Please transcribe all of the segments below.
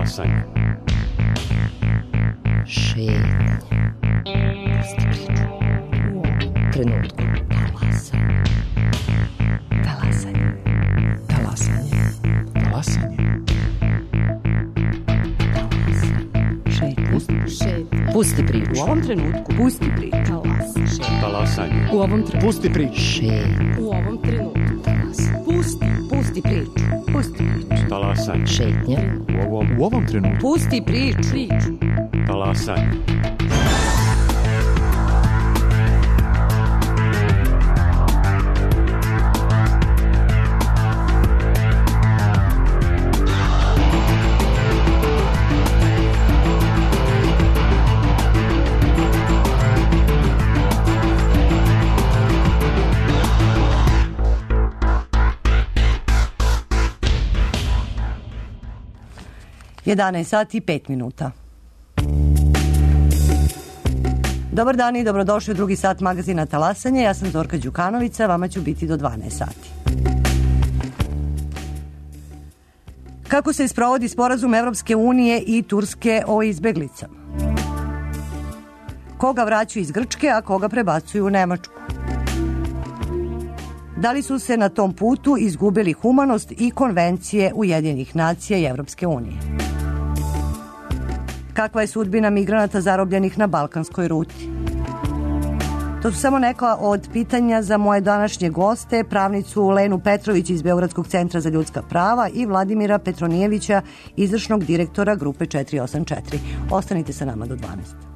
Talasanje. Šetnja. Pusti priču. U ovom trenutku. Talasanje. Talasanje. Talasanje. Šetnja. Pusti priču. U ovom trenutku. Pusti priču. Talasanje. U ovom trenutku. Pusti priču. Šetnja. U ovom trenutku. Talasanje. Pusti priču. Pusti priču. Talasanje. Šetnja. U ovom trenutku. Pusti priču. Talasanje. Jedanaest sati i 5 minuta. Dobar dan i dobrodošli u drugi sat magazina Talasanje. Ja sam Zorka Đukanovića, vama ću biti do 12 sati. Kako se sprovodi sporazum Evropske unije i Turske o izbeglicama? Koga vraćaju iz Grčke, a koga prebacuju u Nemačku? Da li su se na tom putu izgubili humanost i konvencije Ujedinjenih nacija i Evropske unije? Kakva je sudbina migranata zarobljenih na balkanskoj ruti? To su samo neka od pitanja za moje današnje goste, pravnicu Lenu Petrović iz Beogradskog centra za ljudska prava i Vladimira Petronijevića, izvršnog direktora grupe 484. Ostanite sa nama do 12.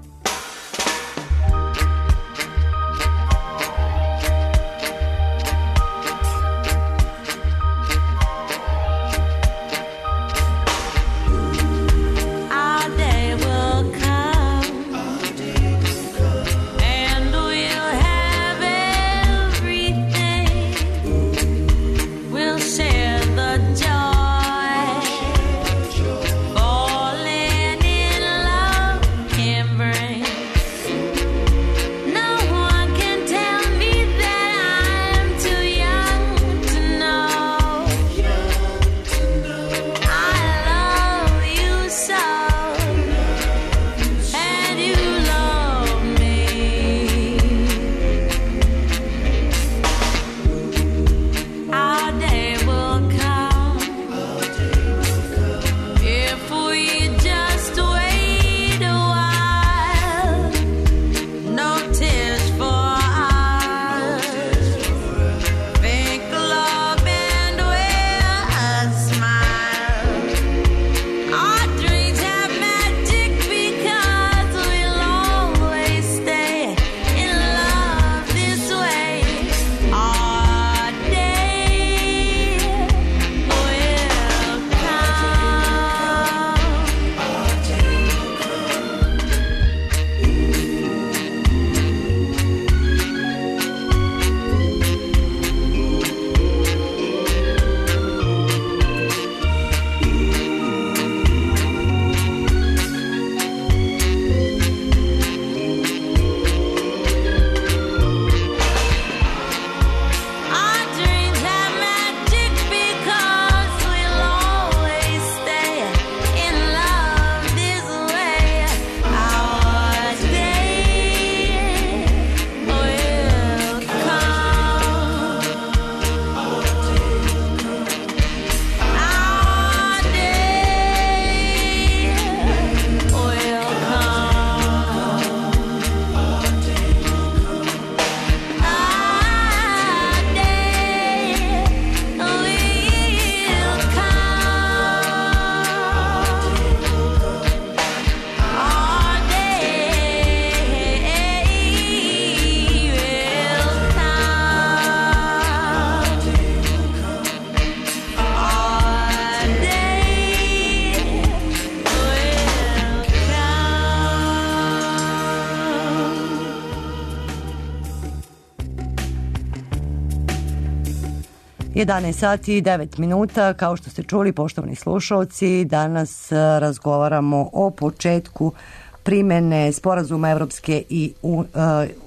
Jedanaest sati i 9 minuta, kao što ste čuli, poštovani slušalci, danas razgovaramo o početku primene sporazuma Evropske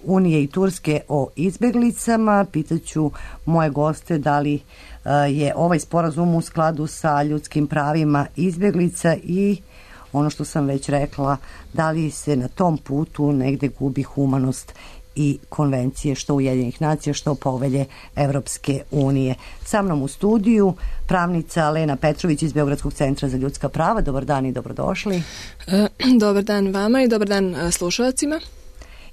unije i Turske o izbeglicama. Pitaću moje goste da li je ovaj sporazum u skladu sa ljudskim pravima izbeglica i ono što sam već rekla, da li se na tom putu negde gubi humanost i konvencije što Ujedinjenih nacija, što povelje Evropske unije. Sa mnom u studiju pravnica Lena Petrović iz Beogradskog centra za ljudska prava. Dobar dan i dobrodošli. Dobar dan vama i dobar dan slušalcima.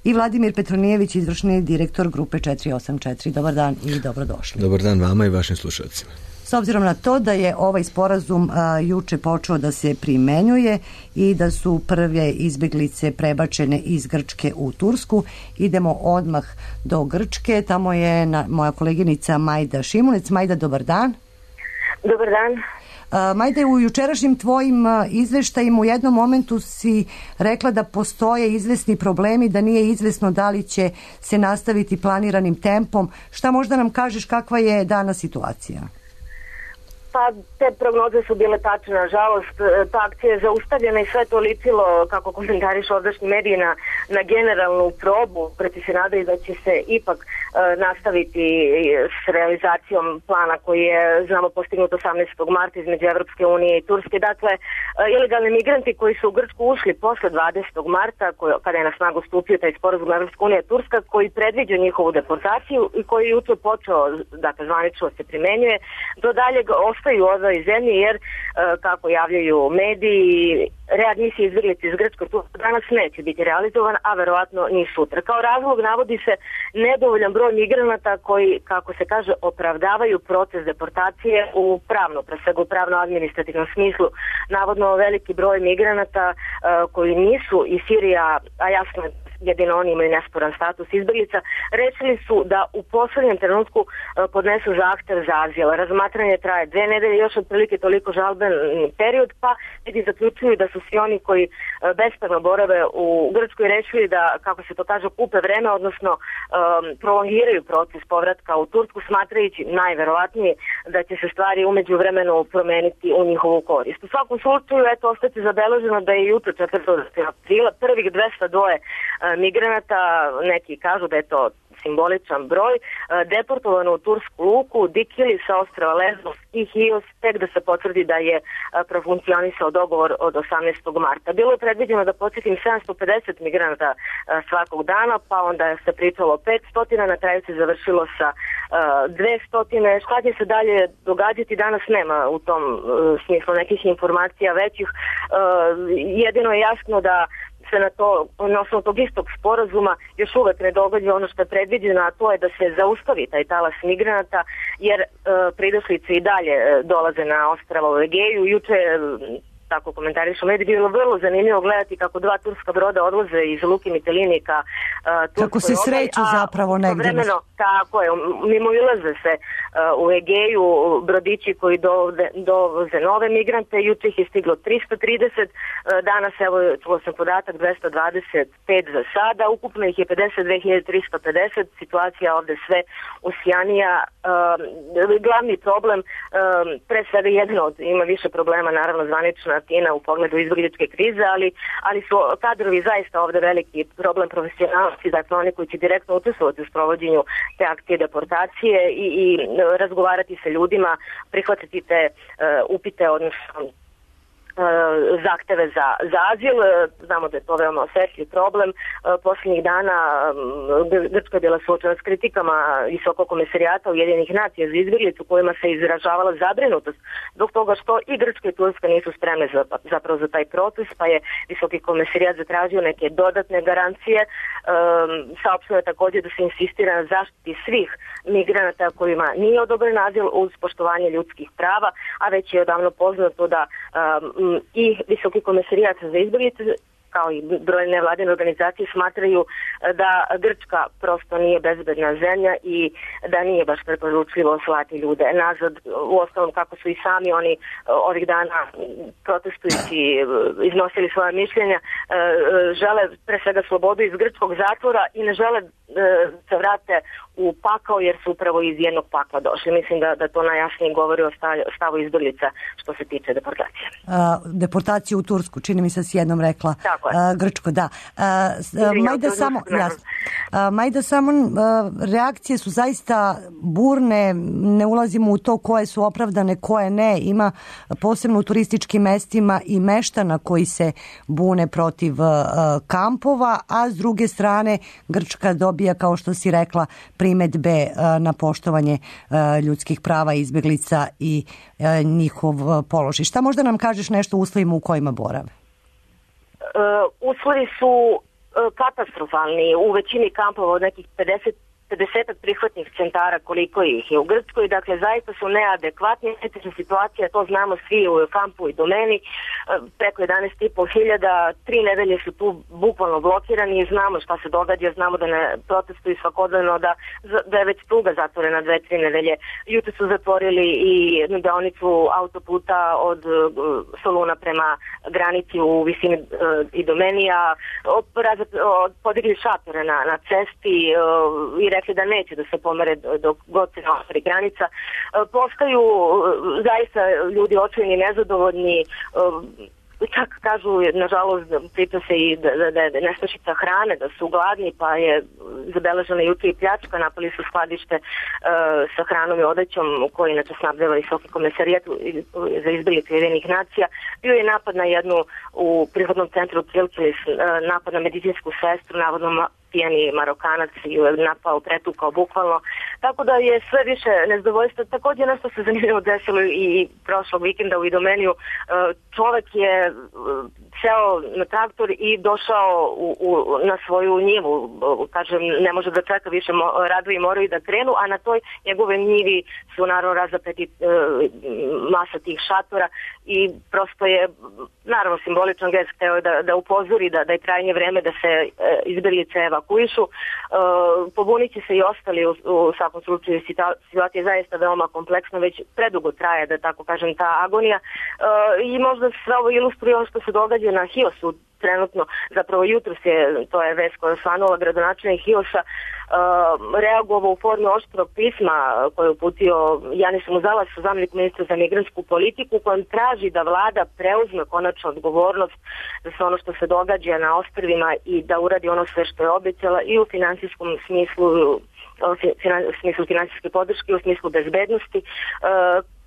I Vladimir Petronijević, izvršni direktor grupe 484. Dobar dan i dobrodošli. Dobar dan vama i vašim slušalcima. S obzirom na to da je ovaj sporazum juče počeo da se primenjuje i da su prve izbeglice prebačene iz Grčke u Tursku, idemo odmah do Grčke. Tamo je moja koleginica Majda Šimunec. Majda, dobar dan. Dobar dan. Majde, u jučerašnjim tvojim izveštajima u jednom momentu si rekla da postoje izvesni problemi, da nije izvesno da li će se nastaviti planiranim tempom. Šta možda nam kažeš kakva je danas situacija? Pa te prognoze su bile tačne, nažalost, ta akcija je zaustavljena i sve to ličilo, kako komentariš ovdašnji mediji, na generalnu probu, preti se nadaju da će se ipak nastaviti s realizacijom plana koji je, znamo, postignut 18. marta između Evropske unije i Turske. Dakle, ilegalni migranti koji su u Grčku ušli posle 20. marta, kada je na snagu stupio taj sporazum Evropska unija i Turska, koji predviđa njihovu deportaciju i koji je jutro počeo, dakle, zvanično se primenjuje, do daljeg ostaju u ovoj zemlji jer, kako javljaju mediji, readmisija izbjeglica iz Grčke danas neće biti realizovan, a verovatno ni sutra. Kao razlog navodi se nedovoljan broj migranata koji, kako se kaže, opravdavaju proces deportacije u pravno, pre svega u pravno-administrativnom smislu. Navodno veliki broj migranata koji nisu iz Sirija, a jasno je jedino oni imaju nesporan status izbjeglica, rešili su da u poslednjem trenutku podnesu zahtev za azil. Razmatranje traje 2 nedelje, još otprilike toliko žalben period, pa ljudi zaključuju da su svi oni koji bespravno borave u Grčkoj rešili da, kako se to kaže, kupe vreme, odnosno prolongiraju proces povratka u Tursku, smatrajući najverovatnije da će se stvari umeđu vremenu promeniti u njihovu korist. U svakom slučaju, eto, ostati zabeleženo da je jutro 4. aprila prvih 202 migranata, neki kažu da je to simboličan broj, deportovano u tursku luku Dikili sa ostrava Lesbos i Hios, tek da se potvrdi da je profunkcionisao dogovor od 18. marta. Bilo je predviđeno da podsjetim 750 migranata svakog dana, pa onda se pričalo o 500, na kraju se završilo sa 200. Šta će se dalje događati danas nema u tom smislu nekih informacija većih. Jedino je jasno da se na osnovu tog istog sporazuma još uvek ne događa ono što je predviđeno, a to je da se zaustavi taj talas migranata, jer pridošlice i dalje dolaze na ostrava u Egeju. Juče, tako komentarišu mediji, bilo vrlo zanimljivo gledati kako 2 turska broda odlaze iz Luke Mitelini ka Turskoj kako se sreću zapravo negdje. Vremeno, tako je, mimo ilaze se u Egeju brodići koji dovoze nove migrante, juče ih je stiglo 330, danas, evo, čuo sam podatak, 225 za sada, ukupno ih je 52.350, situacija ovde sve usjanija. Glavni problem, pre svega jedan od, ima više problema, naravno zvanična Atina u pogledu izbjegličke krize, ali su kadrovi zaista ovde veliki problem, profesionalci, dakle oni koji će direktno učestvovati u sprovođenju te akcije deportacije i razgovarati sa ljudima, prihvatiti te upite, odnosno zahteve za azil. Znamo da je to veoma osetljiv problem. Posljednjih dana Grčka je bila suočena s kritikama Visokog komesarijata Ujedinjenih nacija za izbjeglice, u kojima se izražavala zabrinutost zbog toga što i Grčka i Turska nisu spremne zapravo za taj proces, pa je Visoki komesarijat zatražio neke dodatne garancije. Saopšteno je također da se insistira na zaštiti svih migranata kojima nije odobren azil uz poštovanje ljudskih prava, a već je odavno poznato da i Visoki komesarijat za izbjeglice kao i brojne nevladine organizacije smatraju da Grčka prosto nije bezbedna zemlja i da nije baš preporučljivo slati ljude nazad. U osnovom, kako su i sami oni ovih dana protestujući iznosili svoje mišljenja, žele pre svega slobodu iz grčkog zatvora i ne žele se vrate u pakao jer su upravo iz jednog pakla došli. Mislim da to najjasnije govori o stavu izbjeglica što se tiče deportacije. Deportaciju u Tursku, čini mi se s jednom rekla. Tako je. Grčko, da. Majda, samo reakcije su zaista burne, ne ulazimo u to koje su opravdane, koje ne. Ima posebno u turističkim mestima i meštana koji se bune protiv kampova, a s druge strane Grčka dobija, kao što si rekla, primedbe na poštovanje ljudskih prava izbjeglica i njihov položaj. Šta možda nam kažeš nešto o uslovima u kojima borave? Uslovi su katastrofalni. U većini kampova od nekih 50 prihvatnih centara koliko ih je u Grčkoj, dakle zaista su neadekvatni. Situacija, to znamo svi u kampu i domeni, preko 11.500, 3 nedelje su tu bukvalno blokirani i znamo šta se događa, znamo da ne protestuju svakodnevno, da je već pruga zatvorena 2-3 nedelje. Jutro su zatvorili i jednu deonicu autoputa od Soluna prema granici u visini i domenija, podigli šatore na cesti i rekli da neće da se pomere dok god se ne otvori granica. Postaju zaista ljudi očajni, nezadovoljni, čak kažu, nažalost, priča se i da je nestašica hrane, da su gladni, pa je zabeležena jutro i pljačka, napali su skladište sa hranom i odećom koji inače snabdeva Visoki komesarijat za izbjeglice Ujedinjenih nacija. Bio je napad na jednu u prihvatnom centru Kilkilis, napad na medicinsku sestru, navodno pijani Marokanac ju je napao, pretukao bukvalno. Tako da je sve više nezadovoljstva. Također nešto se zanimljivo desilo i prošlog vikenda u Idomeniju. Čovek je seo na traktor i došao na svoju njivu. Kažem, ne može da čeka više, radovi moraju da krenu, a na toj njegove njivi su naravno razapeti masa tih šatora i prosto je naravno simboličan gest hteo da upozori da je krajnje vreme da se izbjeglice evakuišu. Pobunit će se i ostali u svakom slučaju. Situacija je zaista veoma kompleksna, već predugo traje, da tako kažem, ta agonija i možda sve ovo ilustruje ono što se događa na Hiosu trenutno, zapravo jutros je, to je vest koja je osvanula, gradonačelnik Hiosa reagovao u formi oštrog pisma koje je uputio Janisu Muzalasu, zamjeniku ministra za migrantsku politiku, kojem traži da vlada preuzme konačno odgovornost za sve ono što se događa na ostrvima i da uradi ono sve što je obećala i u finansijskom smislu, u smislu finansijske podrške, u smislu bezbednosti.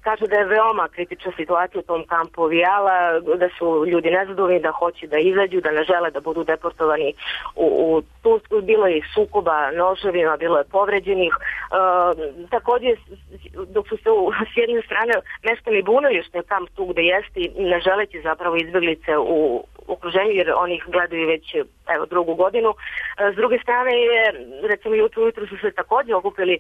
Kaže da je veoma kritična situacija u tom kampu Vijala, da su ljudi nezadovoljni, da hoće da izađu, da ne žele da budu deportovani u Tursku. Bilo je sukoba noževima, bilo je povređenih. Također, dok su se s jedne strane meštani bunili što je kamp tu gde jeste i ne želeći zapravo izbjeglice u okruženju, jer oni ih gledaju već drugu godinu. S druge strane je, recimo jutro su se također okupili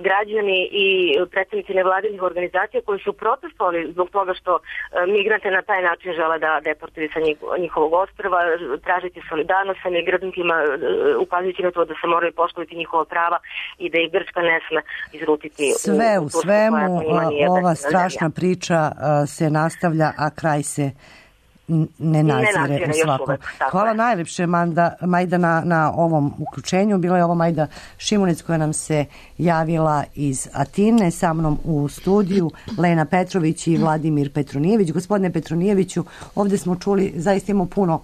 građani i predstavnici nevladinih organizacija koji su protestovali zbog toga što migrante na taj način žele da deportuju sa njihovog ostrva, tražiti solidarnost sa migrantima, ukazujući na to da se moraju poštovati njihova prava i da ih Grčka ne sme izrutiti. Sve u svemu ova strašna priča se nastavlja, a kraj se ne nazire u svakom. Hvala najljepše, Majda, na ovom uključenju. Bila je ovo Majda Šimunic koja nam se javila iz Atine, sa mnom u studiju Lena Petrović i Vladimir Petronijević. Gospodine Petronijeviću, ovdje smo čuli, zaista imamo puno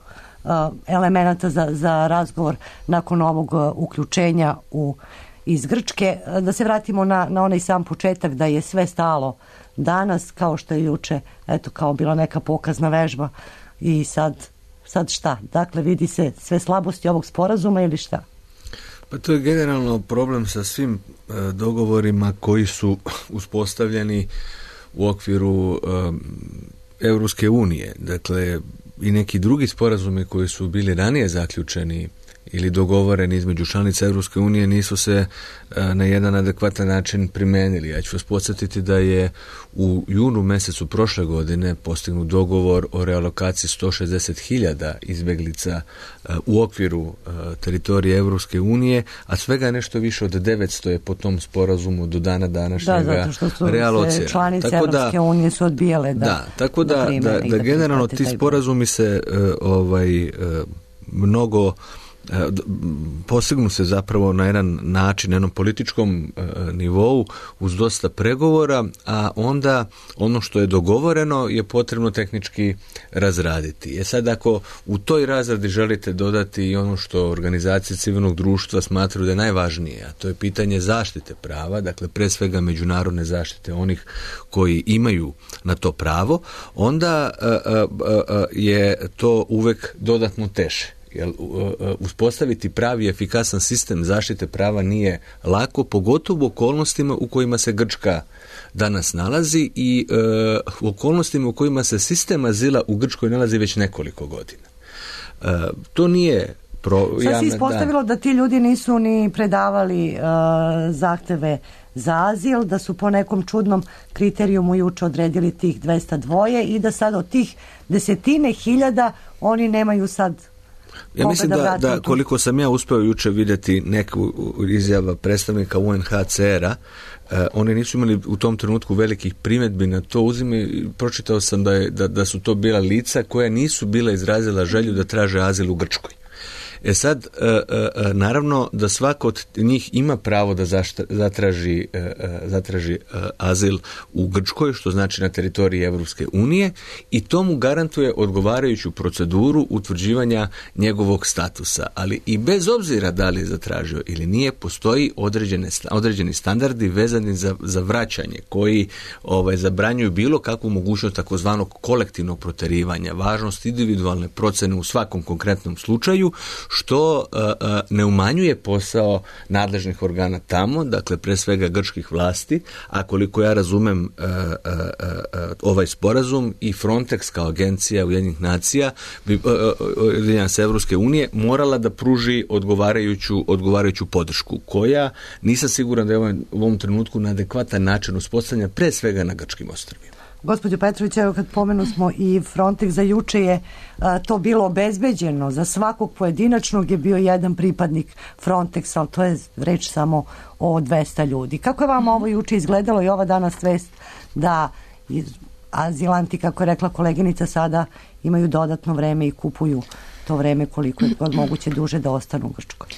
elemenata za razgovor nakon ovog uključenja iz Grčke. Da se vratimo na onaj sam početak, da je sve stalo danas, kao što je juče, kao bila neka pokazna vežba i sad šta? Dakle, vidi se sve slabosti ovog sporazuma ili šta? Pa to je generalno problem sa svim dogovorima koji su uspostavljeni u okviru Europske unije. Dakle, i neki drugi sporazumi koji su bili ranije zaključeni ili dogovoreni između članica Europske unije nisu se na jedan adekvatan način primenili. Ja ću vas podsjetiti da je u junu mjesecu prošle godine postignut dogovor o realokaciji 160.000 izbjeglica u okviru teritorije Europske unije, a svega nešto više od 900 je po tom sporazumu do dana današnjega realocirano. Da, zato što su članice Europske unije su odbijale tako da generalno ti sporazumi se mnogo postignu se zapravo na jedan način, na jednom političkom nivou uz dosta pregovora, a onda ono što je dogovoreno je potrebno tehnički razraditi. Sad ako u toj razradi želite dodati i ono što organizacije civilnog društva smatraju da je najvažnije, a to je pitanje zaštite prava, dakle pre svega međunarodne zaštite onih koji imaju na to pravo, onda je to uvek dodatno teže. Jer uspostaviti pravi efikasan sistem zaštite prava nije lako, pogotovo u okolnostima u kojima se Grčka danas nalazi i u okolnostima u kojima se sistem azila u Grčkoj nalazi već nekoliko godina. To nije sad se ispostavilo da ti ljudi nisu ni predavali zahteve za azil, da su po nekom čudnom kriterijumu juče odredili tih 202 i da sad od tih desetine hiljada oni nemaju sad. Ja mislim da koliko sam ja uspeo juče vidjeti neku izjava predstavnika UNHCR-a, oni nisu imali u tom trenutku velikih primjedbi na to. Pročitao sam da su to bila lica koja nisu bila izrazila želju da traže azil u Grčkoj. Sad, naravno da svako od njih ima pravo da zatraži azil u Grčkoj, što znači na teritoriji Evropske unije, i to mu garantuje odgovarajuću proceduru utvrđivanja njegovog statusa. Ali i bez obzira da li je zatražio ili nije, postoji određeni standardi vezani za vraćanje koji zabranjuju bilo kakvu mogućnost takozvanog kolektivnog proterivanja, važnost individualne procene u svakom konkretnom slučaju, što ne umanjuje posao nadležnih organa tamo, dakle pre svega grčkih vlasti, a koliko ja razumem ovaj sporazum i Frontex kao agencija Ujedinjenih nacija, Evropske unije, morala da pruži odgovarajuću podršku, koja nisam siguran da je u ovom trenutku na adekvatan način uspostavljena pre svega na grčkim ostrvima. Gospođo Petrović, evo kad pomenu smo i Frontex, za juče je to bilo obezbeđeno. Za svakog pojedinačnog je bio jedan pripadnik Frontexa, ali to je reč samo o 200 ljudi. Kako je vam ovo juče izgledalo i ova danas vest da azilanti, kako je rekla koleginica, sada imaju dodatno vreme i kupuju to vreme koliko je god moguće duže da ostanu u Grčkoj?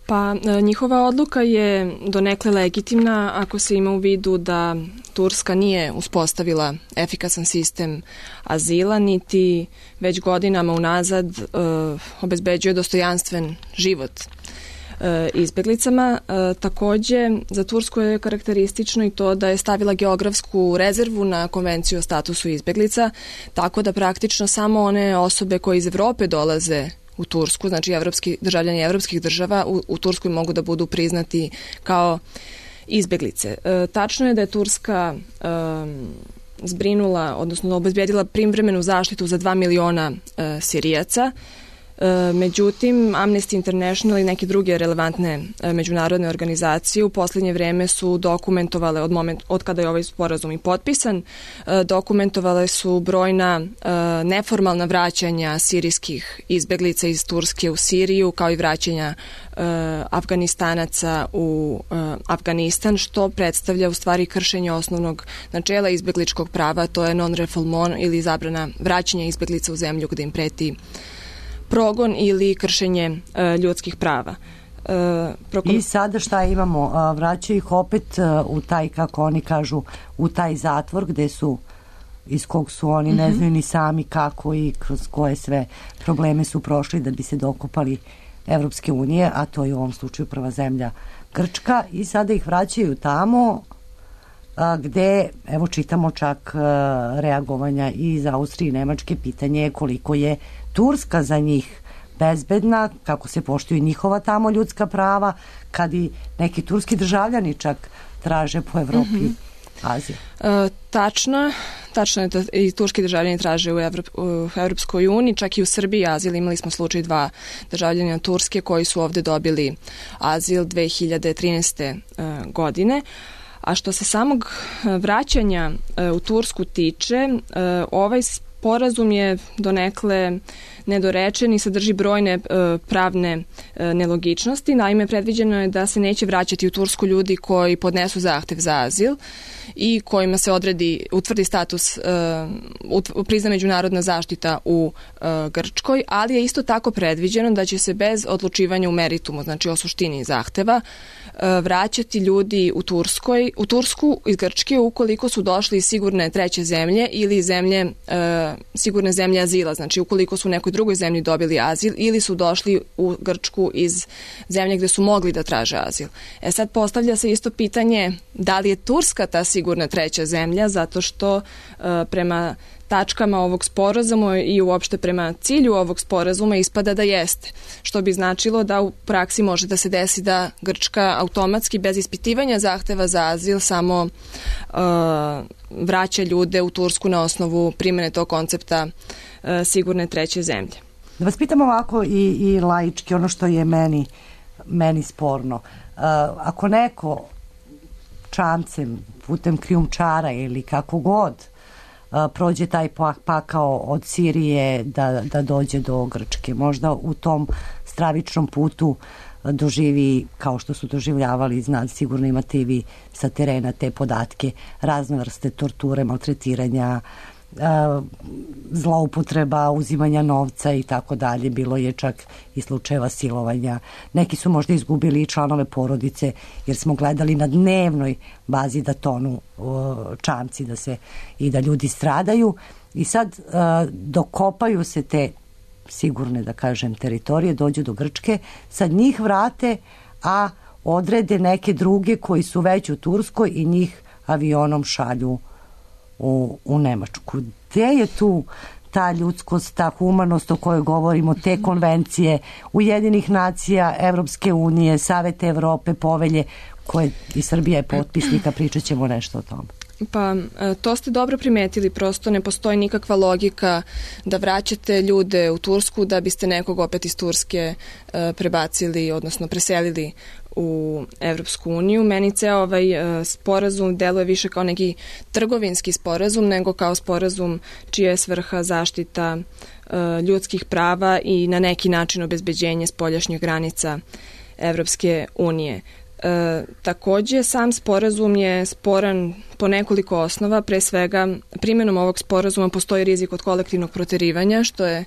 Pa njihova odluka je donekle legitimna ako se ima u vidu da Turska nije uspostavila efikasan sistem azila, niti već godinama unazad obezbeđuje dostojanstven život izbeglicama. Takođe, za Tursku je karakteristično i to da je stavila geografsku rezervu na konvenciju o statusu izbeglica, tako da praktično samo one osobe koje iz Evrope dolaze u Tursku, znači državljani evropskih država u Turskoj mogu da budu priznati kao izbeglice. Tačno je da je Turska zbrinula, odnosno obezbedila privremenu zaštitu za 2 miliona Sirijaca. Međutim, Amnesty International i neke druge relevantne međunarodne organizacije u posljednje vreme su dokumentovale od kada je ovaj sporazum i potpisan, dokumentovale su brojna neformalna vraćanja sirijskih izbeglica iz Turske u Siriju, kao i vraćanja Afganistanaca u Afganistan, što predstavlja u stvari kršenje osnovnog načela izbegličkog prava, to je non-refoulement ili zabrana vraćanja izbeglica u zemlju gde im preti progon ili kršenje ljudskih prava. I sada šta imamo? Vraćaju ih opet u taj, kako oni kažu, u taj zatvor gde su, iz kog su oni ne znaju ni sami kako i kroz koje sve probleme su prošli da bi se dokopali Evropske unije, a to je u ovom slučaju prva zemlja Grčka, i sada ih vraćaju tamo gde, evo čitamo čak reagovanja iz Austrije i Nemačke, pitanje je koliko je Turska za njih bezbedna, kako se poštuju njihova tamo ljudska prava, kad i neki turski državljani čak traže po Evropi azil. Tačno je da i turski državljani traže u Evropskoj uniji, čak i u Srbiji azil. Imali smo slučaj 2 državljana Turske koji su ovde dobili azil 2013. godine. A što se samog vraćanja u Tursku tiče, ovaj sporazum je donekle nedorečen i sadrži brojne pravne nelogičnosti. Naime, predviđeno je da se neće vraćati u Tursku ljudi koji podnesu zahtev za azil i kojima se utvrdi status, prizna međunarodna zaštita u Grčkoj, ali je isto tako predviđeno da će se bez odlučivanja u meritumu, znači o suštini zahteva, vraćati ljudi u Tursku iz Grčke ukoliko su došli iz sigurne treće zemlje ili sigurne zemlje azila, znači ukoliko su u nekoj drugoj zemlji dobili azil ili su došli u Grčku iz zemlje gde su mogli da traže azil. Sad postavlja se isto pitanje da li je Turska ta sigurna treća zemlja, zato što prema tačkama ovog sporazuma i uopšte prema cilju ovog sporazuma ispada da jeste, što bi značilo da u praksi može da se desi da Grčka automatski bez ispitivanja zahteva za azil samo vraća ljude u Tursku na osnovu primene tog koncepta sigurne treće zemlje. Da vas pitam ovako i laički, ono što je meni sporno. Ako neko čamcem, putem krijumčara ili kako god prođe taj pakao od Sirije da dođe do Grčke, možda u tom stravičnom putu doživi, kao što su doživljavali, sigurno imate i vi sa terena te podatke, razne vrste torture, maltretiranja, zloupotreba, uzimanja novca i tako dalje. Bilo je čak i slučajeva silovanja. Neki su možda izgubili i članove porodice, jer smo gledali na dnevnoj bazi da tonu čamci i da ljudi stradaju. I sad dokopaju se te sigurne, da kažem, teritorije, dođu do Grčke, sad njih vrate, a odrede neke druge koji su već u Turskoj i njih avionom šalju u Nemačku. Gde je tu ta ljudskost, ta humanost o kojoj govorimo, te konvencije Ujedinjenih nacija, Evropske unije, Savete Evrope, povelje koje i Srbija je potpisnika, pričat ćemo nešto o tome. Pa, to ste dobro primetili, prosto ne postoji nikakva logika da vraćate ljude u Tursku da biste nekog opet iz Turske prebacili, odnosno preselili u Evropsku uniju. Meni ceo ovaj sporazum deluje više kao neki trgovinski sporazum nego kao sporazum čija je svrha zaštita ljudskih prava i na neki način obezbeđenje spoljašnjih granica Evropske unije. Takođe, sam sporazum je sporan po nekoliko osnova. Pre svega, primjenom ovog sporazuma postoji rizik od kolektivnog proterivanja, što je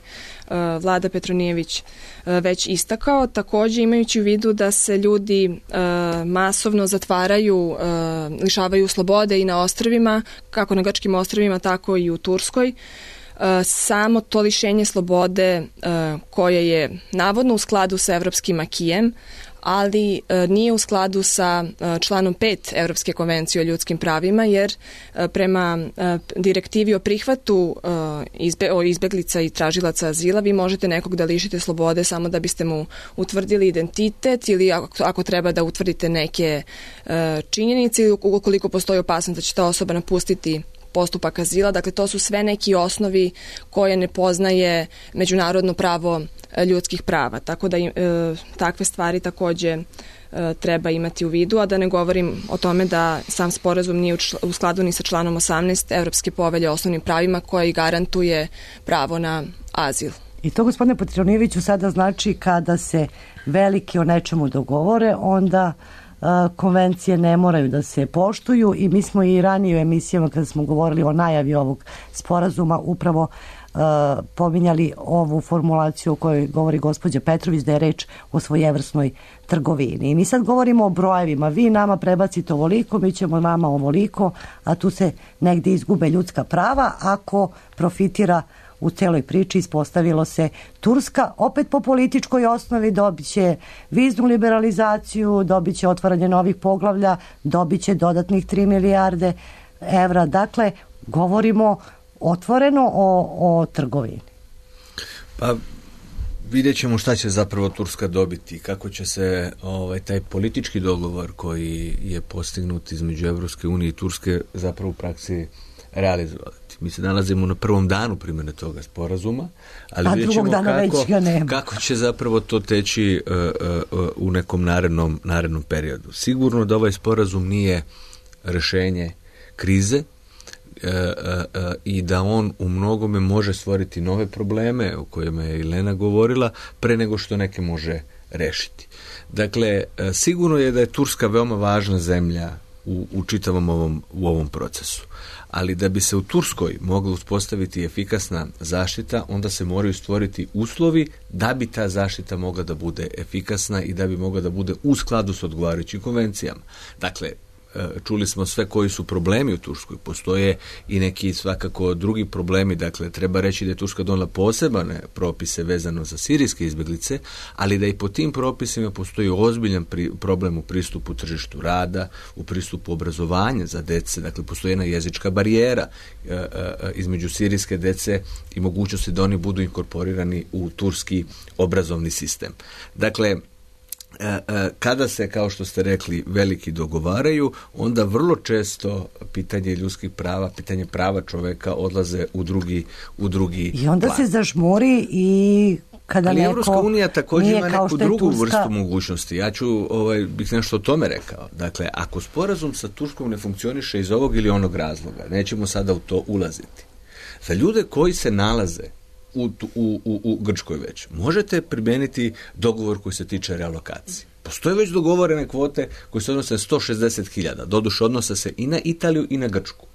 Vlada Petronijević već istakao. Takođe, imajući u vidu da se ljudi masovno zatvaraju, lišavaju slobode i na ostrvima, kako na grčkim ostrvima, tako i u Turskoj, samo to lišenje slobode koje je navodno u skladu sa evropskim akijem, ali nije u skladu sa članom 5 Evropske konvencije o ljudskim pravima, jer prema direktivi o prihvatu izbeglica i tražilaca azila vi možete nekog da lišite slobode samo da biste mu utvrdili identitet ili ako treba da utvrdite neke činjenice ili ukoliko postoji opasnost da će ta osoba napustiti postupak azila. Dakle, to su sve neki osnovi koje ne poznaje međunarodno pravo ljudskih prava. Tako da takve stvari takođe treba imati u vidu, a da ne govorim o tome da sam sporazum nije u skladu ni sa članom 18 Evropske povelje o osnovnim pravima koja i garantuje pravo na azil. I to, gospodine Petronijeviću, sada znači kada se veliki o nečemu dogovore, onda konvencije ne moraju da se poštuju i mi smo i ranije u emisijama kada smo govorili o najavi ovog sporazuma upravo pominjali ovu formulaciju o kojoj govori gospođa Petrović, da je reč o svojevrsnoj trgovini. I mi sad govorimo o brojevima. Vi nama prebacite ovoliko, mi ćemo vama ovoliko, a tu se negde izgube ljudska prava. Ako profitira u celoj priči, ispostavilo se Turska, opet po političkoj osnovi, dobit će viznu liberalizaciju, dobit će otvaranje novih poglavlja, dobit će dodatnih 3 milijarde evra. Dakle, govorimo otvoreno o trgovini. Pa vidjet ćemo šta će zapravo Turska dobiti, kako će se taj politički dogovor koji je postignut između Evropske unije i Turske zapravo u praksi realizovati. Mi se nalazimo na prvom danu primjene toga sporazuma, ali vidjet ćemo kako će zapravo to teći u nekom narednom periodu. Sigurno da ovaj sporazum nije rešenje krize, i da on u mnogome može stvoriti nove probleme o kojima je Elena govorila pre nego što neke može rešiti. Dakle, sigurno je da je Turska veoma važna zemlja u čitavom ovom procesu. Ali da bi se u Turskoj mogla uspostaviti efikasna zaštita, onda se moraju stvoriti uslovi da bi ta zaštita mogla da bude efikasna i da bi mogla da bude u skladu s odgovarajućim konvencijama. Dakle, čuli smo sve koji su problemi u Turskoj. Postoje i neki svakako drugi problemi. Dakle, treba reći da je Turska donela posebne propise vezano za sirijske izbjeglice, ali da i po tim propisima postoji ozbiljan problem u pristupu tržištu rada, u pristupu obrazovanja za dece. Dakle, postoji jedna jezička barijera između sirijske dece i mogućnosti da oni budu inkorporirani u turski obrazovni sistem. Dakle, kada se, kao što ste rekli, veliki dogovaraju, onda vrlo često pitanje ljudskih prava, pitanje prava čoveka odlaze u drugi i onda plan. Se zažmuri i kada ali neko Evropska unija također ima neku drugu Turska vrstu mogućnosti. Ja ću bih nešto o tome rekao. Dakle, ako sporazum sa Turskom ne funkcioniše iz ovog ili onog nećemo sada u to ulaziti. Za ljude koji se nalaze u Grčkoj već, možete primijeniti dogovor koji se tiče realokacije. Postoje već dogovorene kvote koje se odnose na 160.000. Doduše, odnose se i na Italiju i na Grčku.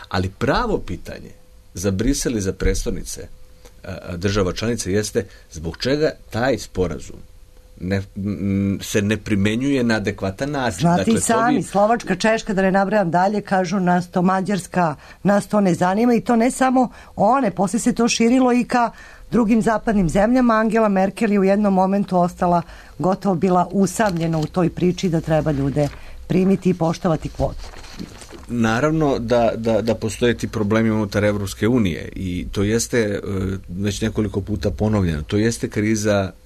Ali pravo pitanje za Brisel i za prestonice država članica jeste zbog čega taj sporazum se ne primenjuje na adekvatan način. Znate i sami, Slovačka, Češka, da ne nabrajam dalje, kažu nas to, Mađarska, nas to ne zanima i to ne samo one, poslije se to širilo i ka drugim zapadnim zemljama. Angela Merkel je u jednom momentu ostala gotovo bila usamljena u toj priči da treba ljude primiti i poštovati kvote. Naravno da postoje ti problemi unutar Evropske unije i to jeste već nekoliko puta ponovljeno. To jeste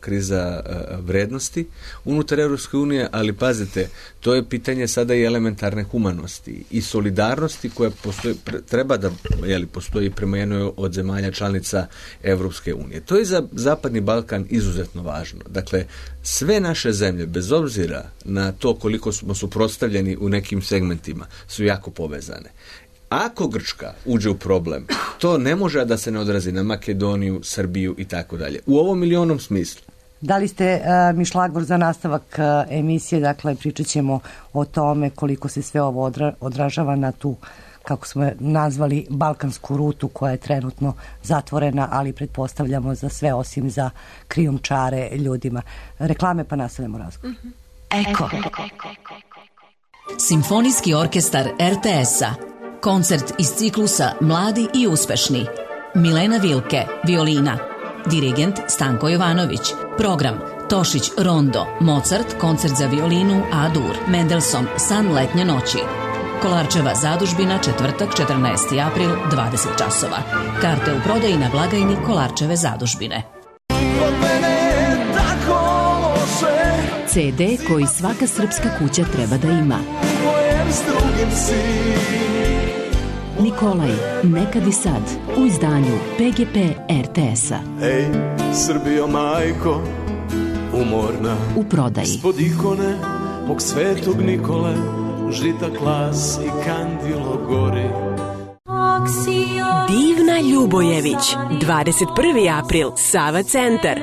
kriza vrednosti unutar Evropske unije, ali pazite, to je pitanje sada i elementarne humanosti i solidarnosti koja treba da postoji prema jednoj od zemalja članica Evropske unije. To je za Zapadni Balkan izuzetno važno. Dakle, sve naše zemlje, bez obzira na to koliko smo suprotstavljeni u nekim segmentima, su jako povezane. Ako Grčka uđe u problem, to ne može da se ne odrazi na Makedoniju, Srbiju i tako dalje. U ovom ili onom smislu. Dali ste mi šlagvor za nastavak emisije, dakle pričat ćemo o tome koliko se sve ovo odražava na tu, kako smo nazvali, balkansku rutu koja je trenutno zatvorena, ali pretpostavljamo za sve osim za krijumčare ljudima. Reklame pa nastavljamo razgovor. Eko. Simfonijski orkestar RTS-a. Koncert iz ciklusa Mladi i uspešni. Milena Vilke, violina. Dirigent Stanko Jovanović. Program Tošić Rondo, Mozart, koncert za violinu A-dur, Mendelssohn, San letnje noći. Kolarčeva zadužbina, četvrtak, 14. april, 20 časova. Karte u prodaji na blagajni Kolarčeve zadužbine. CD koji svaka srpska kuća treba da ima. Nikolaj, nekad i sad, u izdanju PGP RTS-a. Ej, Srbijo majko, umorna, u prodaji. Ispod ikone mog svetog Nikole, žita klas i kandilo gori. Divna Ljubojević, 21. april, Sava centar,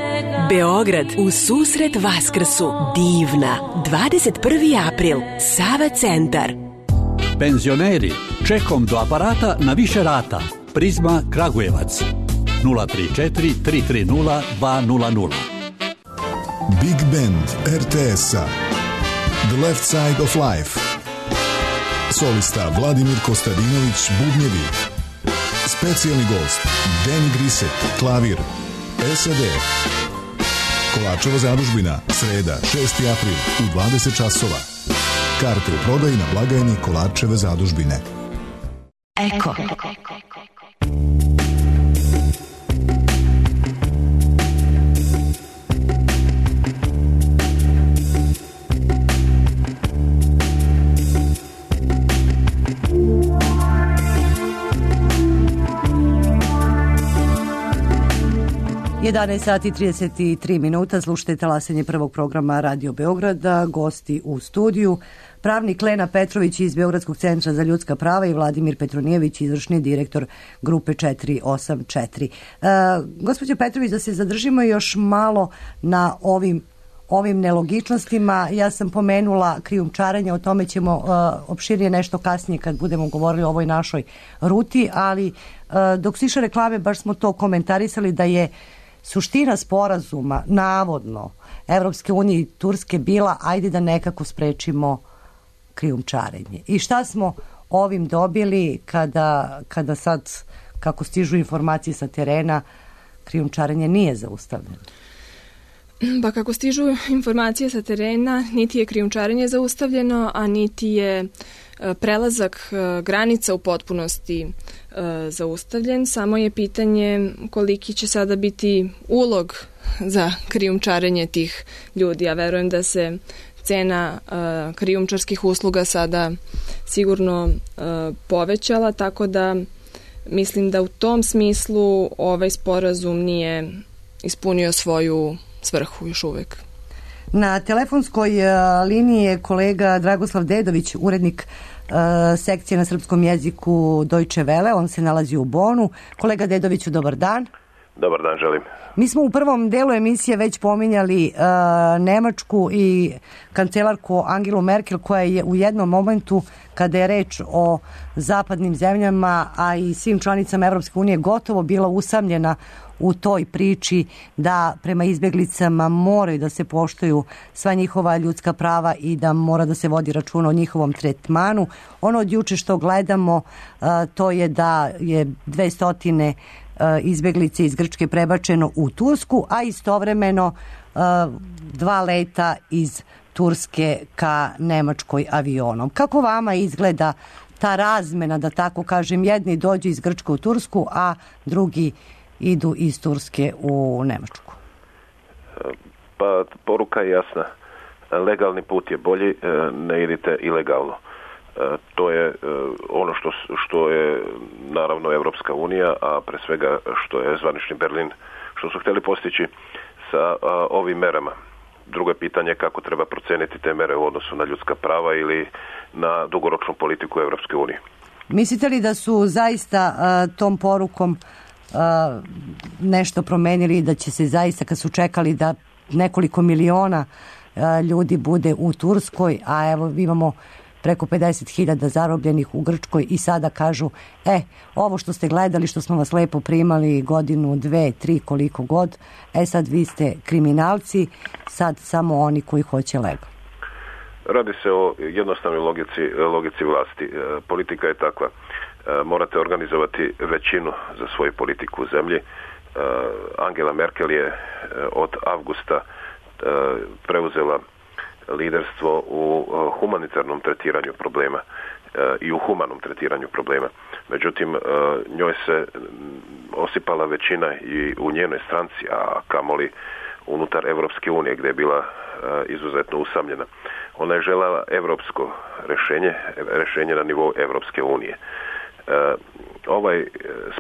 Beograd, u susret Vaskrsu. Divna, 21. april, Sava centar. Penzioneri, čekom do aparata na više rata. Prizma Kragujevac, 034 330 200. Big Band RTS-a, The Left Side of Life. Solista Vladimir Kostadinović, bubnjevi. Specijalni gost Danny Grisek, klavir. SAD. Kolarčeva zadužbina, sreda, 6. april, u 20 časova. Karte u prodaji na blagajni Kolarčeve zadužbine. Eko. Sati 33 minuta, slušajte talasanje prvog programa Radio Beograda, gosti u studiju. pravnik Lena Petrović iz Beogradskog centra za ljudska prava i Vladimir Petronijević, izvršni direktor grupe 484. Gospođo Petrović, da se zadržimo još malo na ovim nelogičnostima. Ja sam pomenula krijumčarenje, o tome ćemo opširnije nešto kasnije kad budemo govorili o ovoj našoj ruti, ali dok su išle reklame baš smo to komentarisali da je suština sporazuma navodno Evropske unije i Turske bila ajde da nekako sprečimo krijumčarenje. I šta smo ovim dobili kada sad, kako stižu informacije sa terena, krijumčarenje nije zaustavljeno? Pa kako stižu informacije sa terena, niti je krijumčarenje zaustavljeno, a niti je prelazak granica u potpunosti zaustavljen. Samo je pitanje koliki će sada biti ulog za krijumčarenje tih ljudi. Ja verujem da se cena krijumčarskih usluga sada sigurno povećala, tako da mislim da u tom smislu ovaj sporazum nije ispunio svoju svrhu još uvek. Na telefonskoj liniji je kolega Dragoslav Dedović, urednik sekcije na srpskom jeziku Deutsche Welle. On se nalazi u Bonu. Kolega Dedoviću, dobar dan. Dobar dan, želim. Mi smo u prvom delu emisije već pominjali Nemačku i kancelarku Angelu Merkel, koja je u jednom momentu, kada je reč o zapadnim zemljama, a i svim članicama Evropske unije, gotovo bila usamljena u toj priči da prema izbjeglicama moraju da se poštuju sva njihova ljudska prava i da mora da se vodi računa o njihovom tretmanu. Ono od juče što gledamo, to je da je 200 izbjeglice iz Grčke prebačeno u Tursku, a istovremeno 2 leta iz Turske ka Nemačkoj avionom. Kako vama izgleda ta razmena, da tako kažem, jedni dođu iz Grčke u Tursku, a drugi idu iz Turske u Nemačku? Pa poruka je jasna. Legalni put je bolji, ne idite ilegalno. To je ono što je naravno Evropska unija, a pre svega što je zvanični Berlin, što su htjeli postići sa ovim merama. Drugo je pitanje kako treba proceniti te mere u odnosu na ljudska prava ili na dugoročnu politiku Evropske unije. Mislite li da su zaista tom porukom nešto promenili, da će se zaista, kad su čekali da nekoliko miliona ljudi bude u Turskoj, a evo imamo preko 50.000 zarobljenih u Grčkoj i sada kažu, ovo što ste gledali, što smo vas lepo primali godinu, 2, 3, koliko god, sad vi ste kriminalci, sad samo oni koji hoće legalno. Radi se o jednostavnoj logici vlasti. Politika je takva. Morate organizovati većinu za svoju politiku u zemlji. Angela Merkel je od avgusta preuzela liderstvo u humanitarnom tretiranju problema i u humanom tretiranju problema. Međutim, njoj se osipala većina i u njenoj stranci, a kamoli unutar Evropske unije, gdje je bila izuzetno usamljena. Ona je željela evropsko rješenje na nivou Evropske unije. Ovaj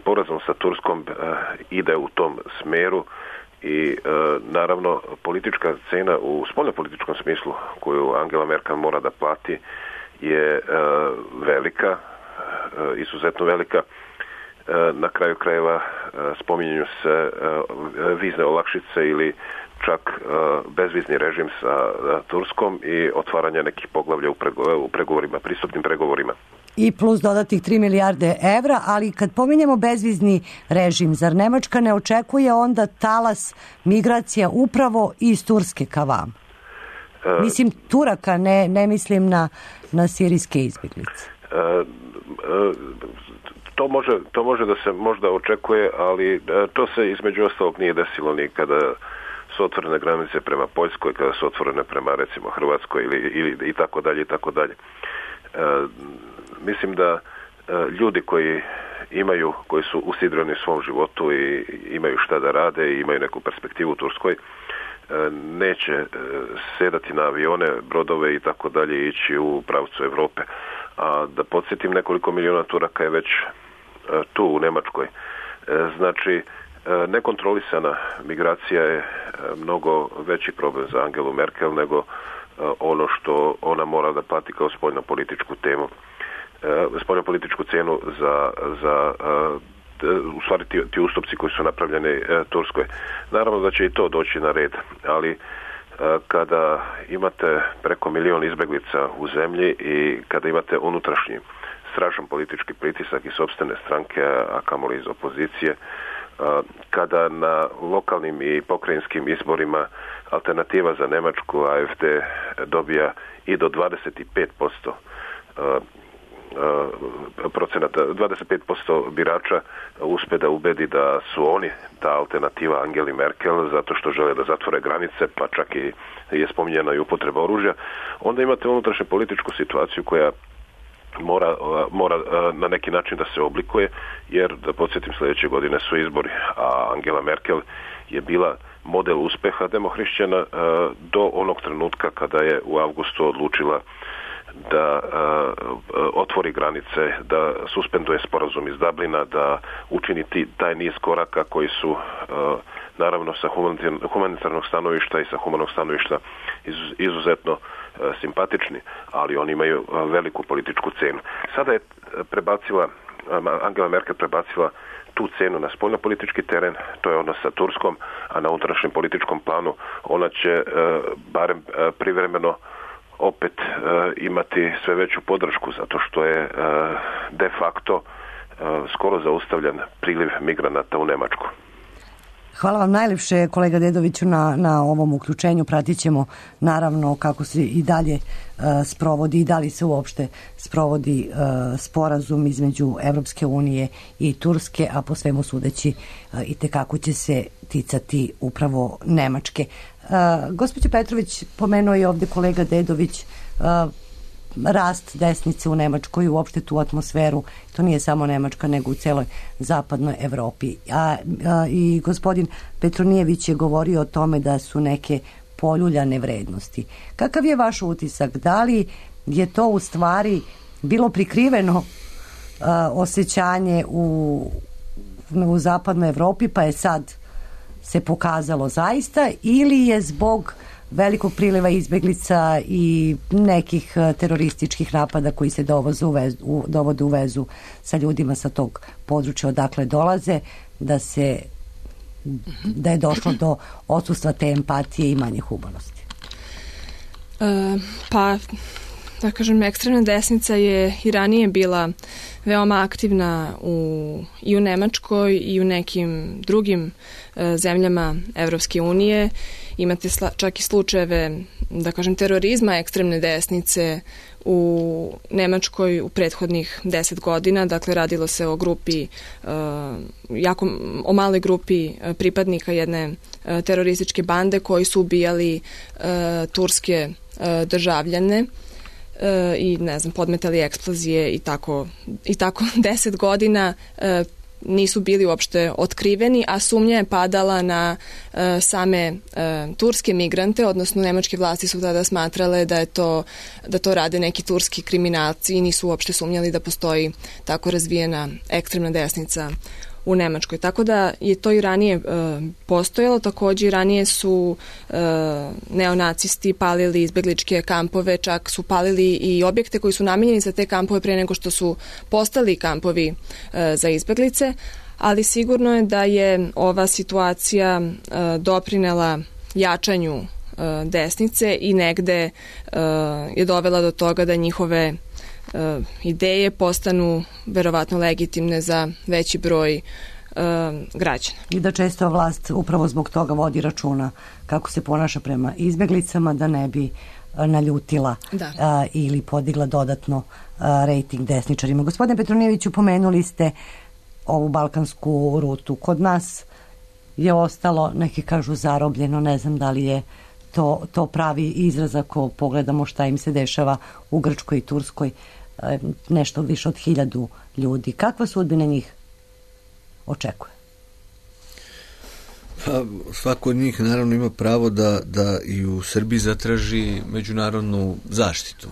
sporazum sa Turskom ide u tom smjeru i naravno politička cena u spoljnopolitičkom smislu koju Angela Merkel mora da plati je velika, izuzetno velika. Na kraju krajeva spominju se vizne olakšice ili čak bezvizni režim sa Turskom i otvaranje nekih poglavlja u pregovorima, pristupnim pregovorima. I plus dodatih 3 milijarde evra, ali kad pominjemo bezvizni režim, zar Nemačka ne očekuje onda talas migracija upravo iz Turske ka vam? Mislim Turaka, ne mislim na sirijske izbjeglice. To može da se možda očekuje, ali to se između ostalog nije desilo ni kada su otvorene granice prema Poljskoj, kada su otvorene prema recimo Hrvatskoj ili i tako dalje i tako dalje. Mislim da ljudi koji su usidreni u svom životu i imaju šta da rade i imaju neku perspektivu u Turskoj, neće sedati na avione, brodove i tako dalje i ići u pravcu Europe. A da podsjetim, nekoliko miliona Turaka je već tu u Nemačkoj. Znači, nekontrolisana migracija je mnogo veći problem za Angelu Merkel nego ono što ona mora da plati kao spoljnopolitičku temu, spoljnopolitičku cenu za u stvari ti ustupci koji su napravljeni Turskoj. Naravno da će i to doći na red, ali kada imate preko 1 milion izbeglica u zemlji i kada imate unutrašnji strašan politički pritisak iz sopstvene stranke, a kamoli iz opozicije, kada na lokalnim i pokrajinskim izborima alternativa za Nemačku, AfD, dobija i do 25% procenata, 25% birača uspe da ubedi da su oni ta alternativa Angeli Merkel zato što žele da zatvore granice, pa čak i je spominjena i upotreba oružja, onda imate unutrašnju političku situaciju koja mora na neki način da se oblikuje, jer da podsjetim, sljedeće godine su izbori, a Angela Merkel je bila model uspeha demohrišćana do onog trenutka kada je u avgustu odlučila da otvori granice, da suspenduje sporazum iz Dublina, da učini taj niz koraka koji su naravno sa humanitarnog stanovišta i sa humanog stanovišta izuzetno simpatični, ali oni imaju veliku političku cenu. Sada je Angela Merkel prebacila tu cenu na spoljnopolitički teren, to je odnos sa Turskom, a na unutrašnjem političkom planu ona će barem privremeno opet imati sve veću podršku, zato što je de facto skoro zaustavljen priliv migranata u Nemačku. Hvala vam najljepše, kolega Dedoviću, na ovom uključenju. Pratit ćemo naravno kako se i dalje sprovodi i da li se uopšte sprovodi sporazum između Evropske unije i Turske, a po svemu sudeći i tekako će se ticati upravo Nemačke. Gospođo Petrović, pomenuo je ovde kolega Dedović rast desnice u Nemačkoj i uopšte tu atmosferu. To nije samo Nemačka, nego u celoj zapadnoj Evropi. I gospodin Petronijević je govorio o tome da su neke poljuljane vrednosti. Kakav je vaš utisak? Da li je to u stvari bilo prikriveno osjećanje u zapadnoj Evropi, pa je sad se pokazalo zaista, ili je zbog velikog priliva izbeglica i nekih terorističkih napada koji se dovode u vezu sa ljudima sa tog područja odakle dolaze, da je došlo do odsustva te empatije i manje humanosti? Pa, da kažem, ekstremna desnica je i ranije bila veoma aktivna i u Nemačkoj i u nekim drugim zemljama Evropske unije. Imate čak i slučajeve, da kažem, terorizma ekstremne desnice u Nemačkoj u prethodnih 10 godina. Dakle, radilo se o grupi, o maloj grupi pripadnika jedne terorističke bande koji su ubijali turske državljane i, ne znam, podmetali eksplozije i tako 10 godina nisu bili uopšte otkriveni, a sumnja je padala na same turske migrante, odnosno nemačke vlasti su tada smatrale da to rade neki turski kriminalci i nisu uopšte sumnjali da postoji tako razvijena ekstremna desnica u Nemačkoj. Tako da je to i ranije postojalo. Takođe i ranije su neonacisti palili izbegličke kampove, čak su palili i objekte koji su namenjeni za te kampove pre nego što su postali kampovi za izbeglice, ali sigurno je da je ova situacija doprinela jačanju desnice i negde je dovela do toga da njihove ideje postanu verovatno legitimne za veći broj građana. I da često vlast upravo zbog toga vodi računa kako se ponaša prema izbeglicama, da ne bi naljutila ili podigla dodatno rejting desničarima. Gospodine Petronijeviću, pomenuli ste ovu balkansku rutu. Kod nas je ostalo, neki kažu, zarobljeno, ne znam da li je to pravi izraz ako pogledamo šta im se dešava u Grčkoj i Turskoj, nešto više od 1000 ljudi. Kakva sudbina njih očekuje? Pa, svako od njih naravno ima pravo da i u Srbiji zatraži međunarodnu zaštitu.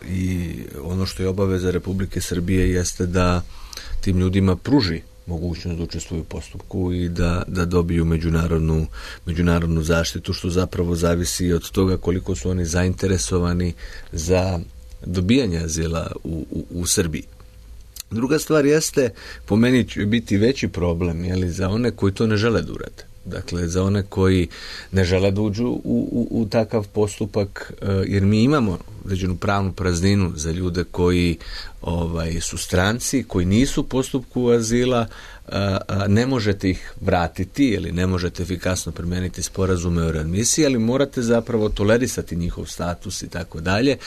I ono što je obaveza Republike Srbije jeste da tim ljudima pruži mogućnost da učestvuju u postupku i da dobiju međunarodnu zaštitu, što zapravo zavisi od toga koliko su oni zainteresovani za dobijanje azila u Srbiji. Druga stvar jeste, po meni će biti veći problem, za one koji to ne žele da urade. Dakle, za one koji ne žele da uđu u takav postupak, jer mi imamo određenu pravnu prazninu za ljude koji su stranci, koji nisu u postupku azila, ne možete ih vratiti ili ne možete efikasno primeniti sporazume o readmisiji, ali morate zapravo tolerisati njihov status i tako dalje.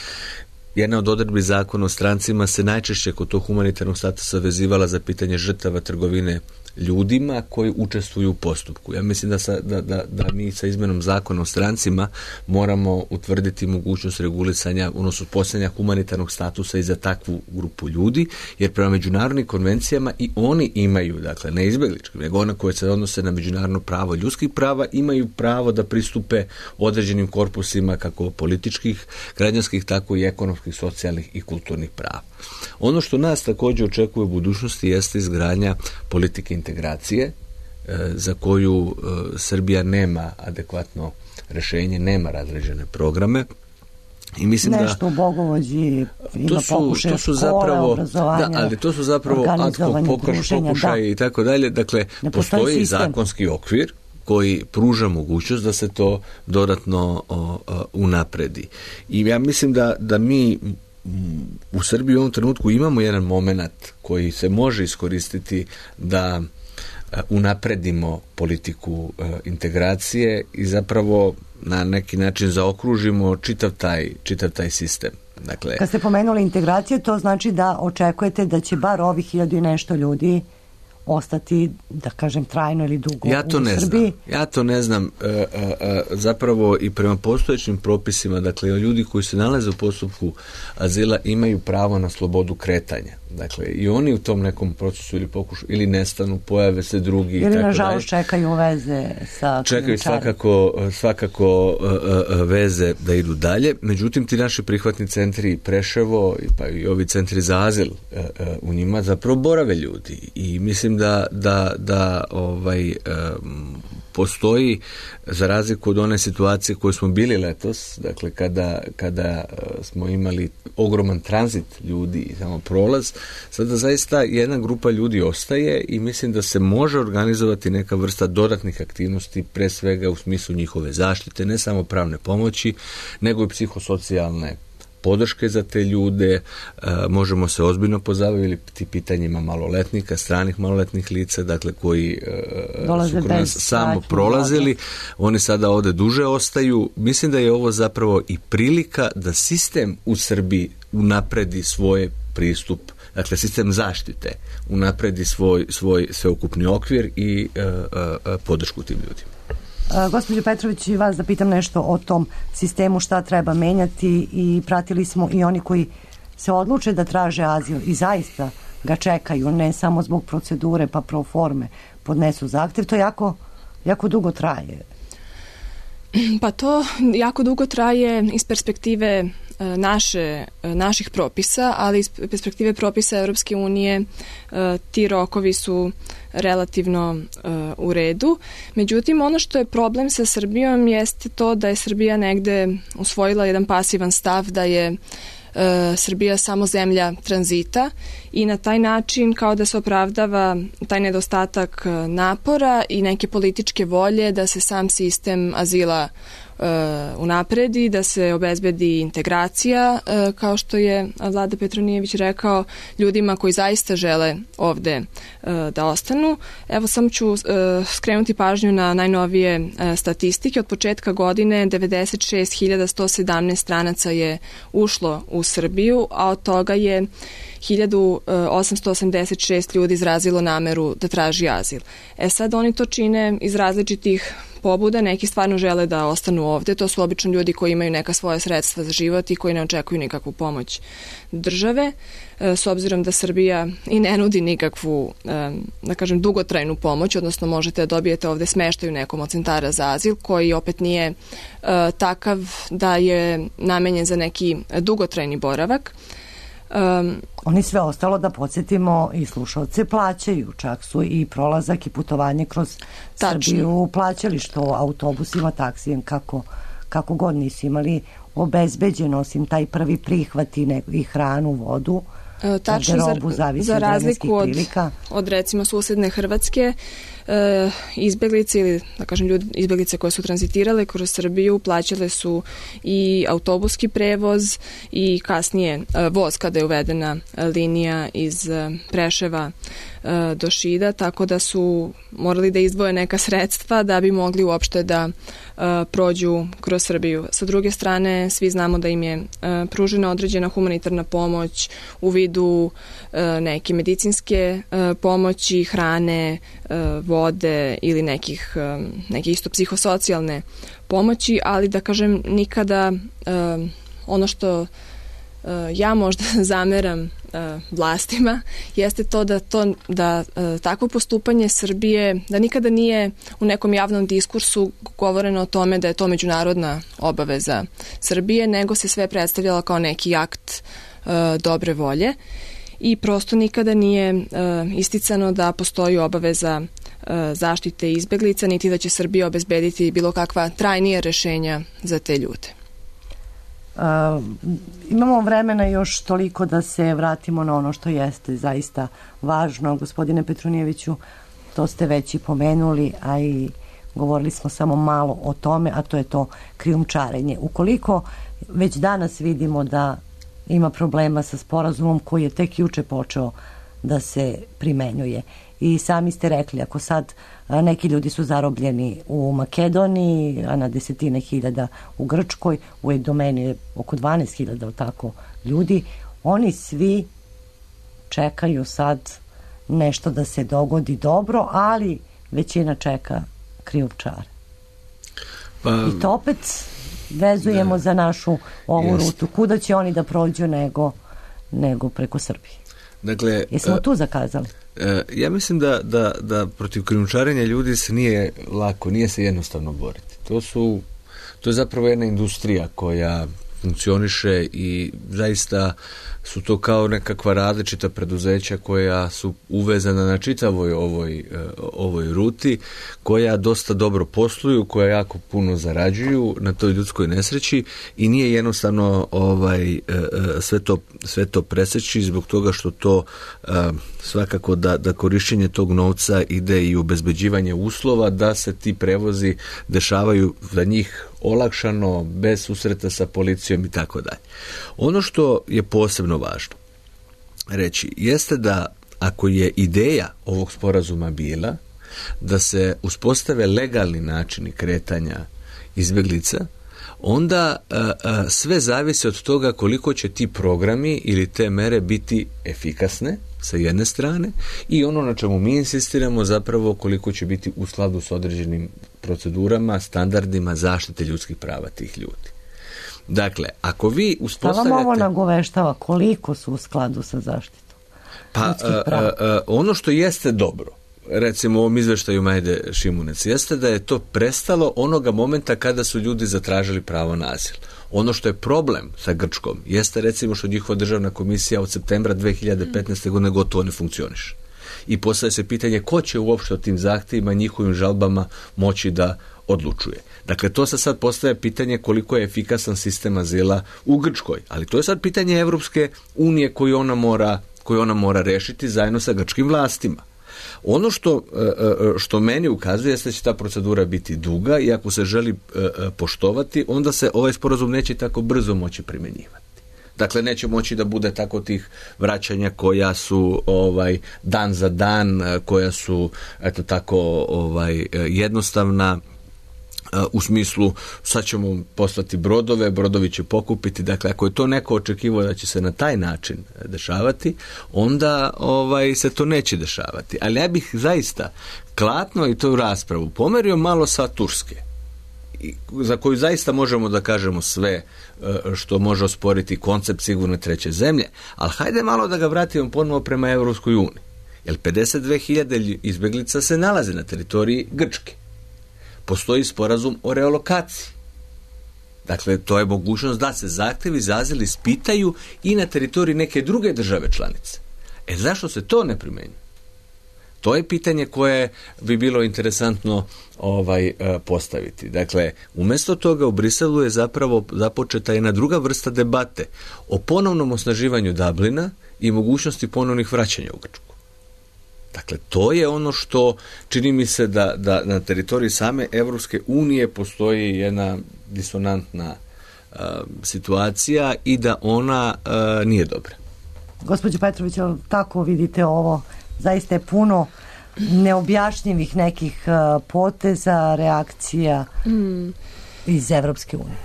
Jedna od odredbi zakona o strancima se najčešće kod tog humanitarnog statusa vezivala za pitanje žrtava trgovine ljudima koji učestvuju u postupku. Ja mislim da mi sa izmenom zakona o strancima moramo utvrditi mogućnost regulisanja, odnosno postojanja humanitarnog statusa i za takvu grupu ljudi, jer prema međunarodnim konvencijama i oni imaju, dakle ne izbeglički, nego one koje se odnose na međunarodno pravo ljudskih prava, imaju pravo da pristupe određenim korpusima kako političkih, građanskih, tako i ekonomskih, socijalnih i kulturnih prava. Ono što nas također očekuje u budućnosti jeste izgradnja politike integracije za koju Srbija nema adekvatno rješenje, nema razređene programe. I mislim nešto u Bogovođi ima pokušaje škole, obrazovanja, ali to su zapravo ad hoc pokušaje i tako dalje. Dakle, postoji zakonski okvir koji pruža mogućnost da se to dodatno unapredi. I ja mislim da mi u Srbiji u ovom trenutku imamo jedan moment koji se može iskoristiti da unapredimo politiku integracije i zapravo na neki način zaokružimo čitav taj sistem. Dakle, kad ste pomenuli integracije, to znači da očekujete da će bar ovih 1000 i nešto ljudi ostati, da kažem, trajno ili dugo u Srbiji? Ja to ne znam. Zapravo i prema postojećim propisima, dakle, ljudi koji se nalaze u postupku azila imaju pravo na slobodu kretanja. Dakle, i oni u tom nekom procesu ili pokušaju, ili nestanu, pojave se drugi. Ili nažalost čekaju veze sa čekaju svakako veze da idu dalje. Međutim, ti naši prihvatni centri Preševo, pa i ovi centri za azil u njima zapravo borave ljudi. I mislim da postoji, za razliku od one situacije koje smo bili letos, dakle kada smo imali ogroman tranzit ljudi i samo prolaz, sada zaista jedna grupa ljudi ostaje i mislim da se može organizovati neka vrsta dodatnih aktivnosti, pre svega u smislu njihove zaštite, ne samo pravne pomoći, nego i psihosocijalne podrške za te ljude. Možemo se ozbiljno pozabaviti pitanjima maloletnika, stranih maloletnih lica, dakle koji su kod nas samo prolazili, oni sada ovdje duže ostaju. Mislim da je ovo zapravo i prilika da sistem u Srbiji unapredi svoj pristup, dakle sistem zaštite unapredi svoj sveukupni okvir i podršku tim ljudima. Gospođo Petrović, i vas da pitam nešto o tom sistemu, šta treba menjati, i pratili smo i oni koji se odluče da traže azil i zaista ga čekaju, ne samo zbog procedure pa pro forme podnesu zahtjev, to jako dugo traje. Pa to jako dugo traje iz perspektive naših propisa, ali iz perspektive propisa Europske unije ti rokovi su relativno u redu. Međutim, ono što je problem sa Srbijom jeste to da je Srbija negde usvojila jedan pasivan stav da je Srbija samo zemlja tranzita i na taj način kao da se opravdava taj nedostatak napora i neke političke volje da se sam sistem azila unapredi, da se obezbedi integracija, kao što je Vlada Petronijević rekao, ljudima koji zaista žele ovde da ostanu. Evo, samo ću skrenuti pažnju na najnovije statistike. Od početka godine 96.117 stranaca je ušlo u Srbiju, a od toga je 1886 ljudi izrazilo nameru da traži azil. Sad oni to čine iz različitih pobuda, neki stvarno žele da ostanu ovde, to su obično ljudi koji imaju neka svoja sredstva za život i koji ne očekuju nikakvu pomoć države, s obzirom da Srbija i ne nudi nikakvu, da kažem, dugotrajnu pomoć, odnosno možete da dobijete ovde smeštaj u nekom od centara za azil, koji opet nije takav da je namenjen za neki dugotrajni boravak. Oni sve ostalo, da podsjetimo i slušalce, plaćaju, čak su i prolazak i putovanje kroz Srbiju plaćali, što autobusima, taksijem, kako god nisu imali obezbeđeno, osim taj prvi prihvat i hranu, vodu. Tačno, za razliku od recimo susedne Hrvatske, izbeglice ili da kažem izbeglice koje su tranzitirale kroz Srbiju plaćale su i autobuski prevoz i kasnije voz kada je uvedena linija iz Preševa do Šida, tako da su morali da izdvoje neka sredstva da bi mogli uopšte da prođu kroz Srbiju. Sa druge strane, svi znamo da im je pružena određena humanitarna pomoć u vidu neke medicinske pomoći, hrane, vode ili neke isto psihosocijalne pomoći, ali da kažem nikada ono što ja možda zameram vlastima jeste to da takvo postupanje Srbije, da nikada nije u nekom javnom diskursu govoreno o tome da je to međunarodna obaveza Srbije, nego se sve predstavljalo kao neki akt dobre volje i prosto nikada nije isticano da postoji obaveza zaštite izbeglica, niti da će Srbija obezbediti bilo kakva trajnija rešenja za te ljude. Imamo vremena još toliko da se vratimo na ono što jeste zaista važno. Gospodine Petronijeviću, to ste već i pomenuli, a i govorili smo samo malo o tome, a to je to krijumčarenje. Ukoliko već danas vidimo da ima problema sa sporazumom koji je tek juče počeo da se primenjuje. I sami ste rekli, ako sad neki ljudi su zarobljeni u Makedoniji, a na desetine hiljada u Grčkoj, u domeni je oko 12.000 tako ljudi, oni svi čekaju sad nešto da se dogodi dobro, ali većina čeka krijumčare. I to opet vezujemo za našu ovu rutu. Kuda će oni da prođu nego preko Srbije? Dakle, jesmo tu zakazali? Ja mislim da protiv krijumčarenja ljudi se nije lako, nije se jednostavno boriti. To je zapravo jedna industrija koja funkcioniše i zaista su to kao nekakva različita preduzeća koja su uvezana na čitavoj ovoj ruti, koja dosta dobro posluju, koja jako puno zarađuju na toj ljudskoj nesreći i nije jednostavno sve to preseći zbog toga što to svakako da korišćenje tog novca ide i u obezbeđivanje uslova da se ti prevozi dešavaju za njih olakšano, bez susreta sa policijom i tako dalje. Ono što je posebno važno reći jeste da ako je ideja ovog sporazuma bila da se uspostave legalni načini kretanja izbjeglica, onda sve zavisi od toga koliko će ti programi ili te mere biti efikasne sa jedne strane i ono na čemu mi insistiramo zapravo koliko će biti u skladu s određenim procedurama, standardima zaštite ljudskih prava tih ljudi. Dakle, ako vi uspostavljate... Šta vam ovo nagoveštava? Koliko su u skladu sa zaštitom ljudskih prava? Ono što jeste dobro, recimo u ovom izveštaju Majde Šimunec, jeste da je to prestalo onoga momenta kada su ljudi zatražili pravo na azil. Ono što je problem sa Grčkom jeste recimo što njihova državna komisija od septembra 2015. godine gotovo ne funkcioniše. I postavlja se pitanje ko će uopšte o tim zahtjevima, njihovim žalbama moći da odlučuje. Dakle, to se sad postavlja pitanje koliko je efikasan sistem azila u Grčkoj. Ali to je sad pitanje Evropske unije koju ona mora rešiti zajedno sa grčkim vlastima. Ono što meni ukazuje jeste da će ta procedura biti duga i ako se želi poštovati, onda se ovaj sporazum neće tako brzo moći primjenjivati. Dakle, neće moći da bude tako tih vraćanja koja su dan za dan, koja su jednostavna u smislu sad ćemo poslati brodove, brodovi će pokupiti. Dakle, ako je to neko očekivao da će se na taj način dešavati, onda se to neće dešavati. Ali ja bih zaista klatno i to u raspravu pomerio malo sa Turske, za koju zaista možemo da kažemo sve što može osporiti koncept sigurne treće zemlje, ali hajde malo da ga vratimo ponovo prema Evropskoj uniji. Jer 52.000 izbjeglica se nalaze na teritoriji Grčke. Postoji sporazum o relokaciji. Dakle, to je mogućnost da se zahtjevi za azil ispitaju i na teritoriji neke druge države članice. Zašto se to ne primjenjuje? To je pitanje koje bi bilo interesantno postaviti. Dakle, umjesto toga u Briselu je zapravo započeta jedna druga vrsta debate o ponovnom osnaživanju Dublina i mogućnosti ponovnih vraćanja u Grčku. Dakle, to je ono što čini mi se da na teritoriji same Europske unije postoji jedna disonantna situacija i da ona nije dobra. Gospođo Petrović, tako vidite ovo? Zaista je puno neobjašnjivih nekih poteza, reakcija iz Evropske unije.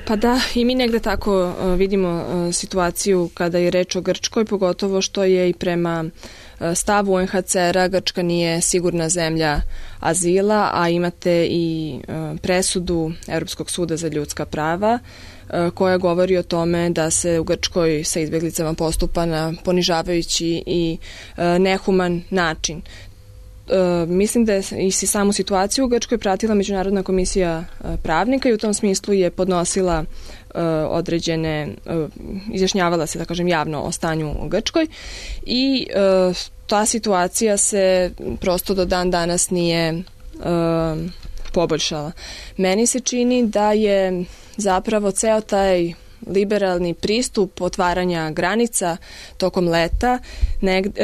Pa da, i mi negde tako vidimo situaciju kada je reč o Grčkoj, pogotovo što je i prema stavu UNHCR-a Grčka nije sigurna zemlja azila, a imate i presudu Europskog suda za ljudska prava koja govori o tome da se u Grčkoj sa izbjeglicama postupa na ponižavajući i nehuman način. Mislim da je i samu situaciju u Grčkoj pratila Međunarodna komisija pravnika i u tom smislu je podnosila određene, izjašnjavala se, da kažem, javno o stanju u Grčkoj i ta situacija se prosto do dan danas nije poboljšala. Meni se čini da je zapravo ceo taj liberalni pristup otvaranja granica tokom leta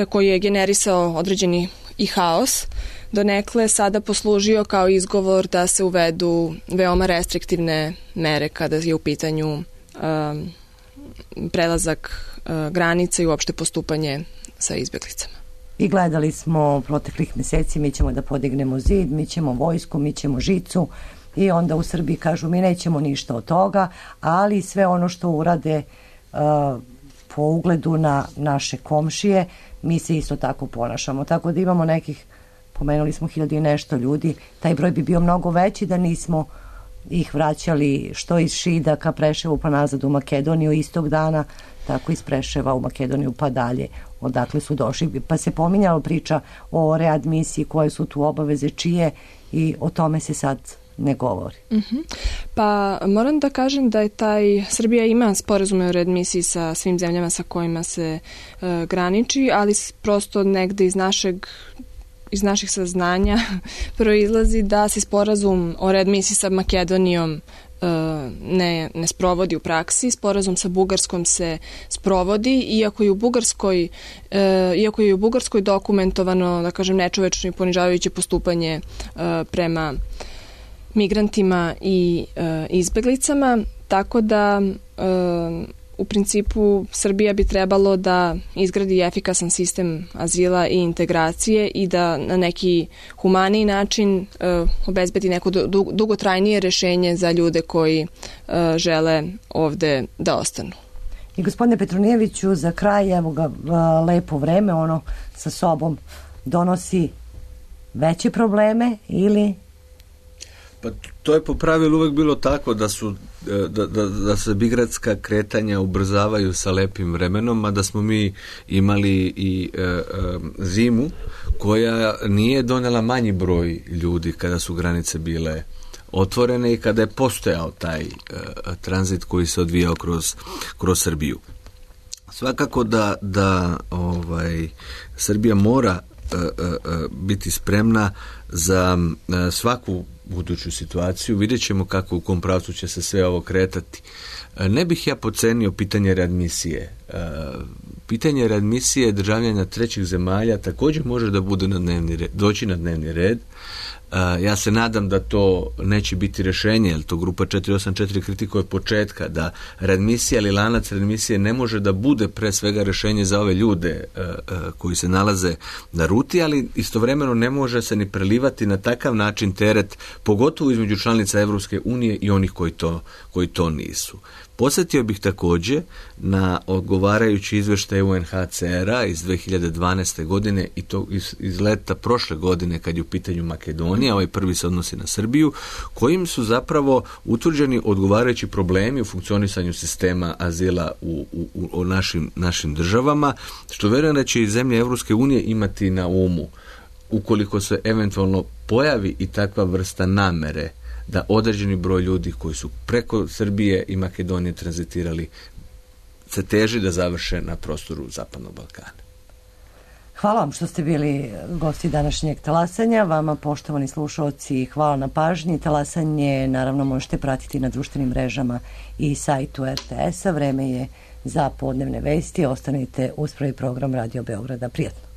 koji je generisao određeni i haos, donekle sada poslužio kao izgovor da se uvedu veoma restriktivne mere kada je u pitanju prelazak granica i uopšte postupanje sa izbjeglicama. I gledali smo proteklih mjeseci, mi ćemo da podignemo zid, mi ćemo vojsku, mi ćemo žicu i onda u Srbiji kažu mi nećemo ništa od toga, ali sve ono što urade po ugledu na naše komšije, mi se isto tako ponašamo. Tako da imamo nekih, pomenuli smo 1000 i nešto ljudi, taj broj bi bio mnogo veći da nismo ih vraćali što iz Šida ka Preševu pa nazad u Makedoniju istog dana, tako iz Preševa u Makedoniju pa dalje odakle su došli. Pa se pominjala priča o readmisiji, koje su tu obaveze, čije, i o tome se sad ne govori. Pa moram da kažem da je Srbija ima sporazume o readmisiji sa svim zemljama sa kojima se graniči, ali prosto negde iz naših saznanja proizlazi da se sporazum o readmisiji sa Makedonijom ne sprovodi u praksi. Sporazum sa Bugarskom se sprovodi, iako je u Bugarskoj dokumentovano, da kažem, nečovečno i ponižavajuće postupanje prema migrantima i izbeglicama, tako da u principu Srbija bi trebalo da izgradi efikasan sistem azila i integracije i da na neki humaniji način obezbedi neko dugotrajnije rešenje za ljude koji žele ovde da ostanu. I gospodine Petronijeviću, za kraj, evo ga, lepo vreme, ono sa sobom donosi veće probleme ili... Pa to je po pravilu uvek bilo tako da se migratska kretanja ubrzavaju sa lepim vremenom, a da smo mi imali i zimu koja nije donela manji broj ljudi kada su granice bile otvorene i kada je postojao taj tranzit koji se odvijao kroz Srbiju. Svakako da Srbija mora biti spremna za svaku buduću situaciju. Vidjet ćemo kako, u kom pravcu će se sve ovo kretati. Ne bih ja podcenio pitanje readmisije. Pitanje readmisije državljana trećih zemalja također može da bude doći na dnevni red. Ja se nadam da to neće biti rješenje, jer to grupa 484 kritikuje od početka, da readmisija ili lanac readmisije ne može da bude pre svega rješenje za ove ljude koji se nalaze na ruti, ali istovremeno ne može se ni prelivati na takav način teret, pogotovo između članica Evropske unije i onih koji to nisu. Podsjetio bih također na odgovarajući izvještaj UNHCR-a iz 2012. godine i to iz leta prošle godine kad je u pitanju Makedonija, ovaj prvi se odnosi na Srbiju, kojim su zapravo utvrđeni odgovarajući problemi u funkcionisanju sistema azila u našim državama, što vjerujem da će i zemlje Evropske unije imati na umu ukoliko se eventualno pojavi i takva vrsta namere da određeni broj ljudi koji su preko Srbije i Makedonije tranzitirali se teži da završe na prostoru Zapadnog Balkana. Hvala vam što ste bili gosti današnjeg talasanja. Vama, poštovani slušalci, hvala na pažnji. Talasanje naravno možete pratiti na društvenim mrežama i sajtu RTS-a. Vreme je za podnevne vesti. Ostanite uz prvi program Radio Beograda. Prijetno.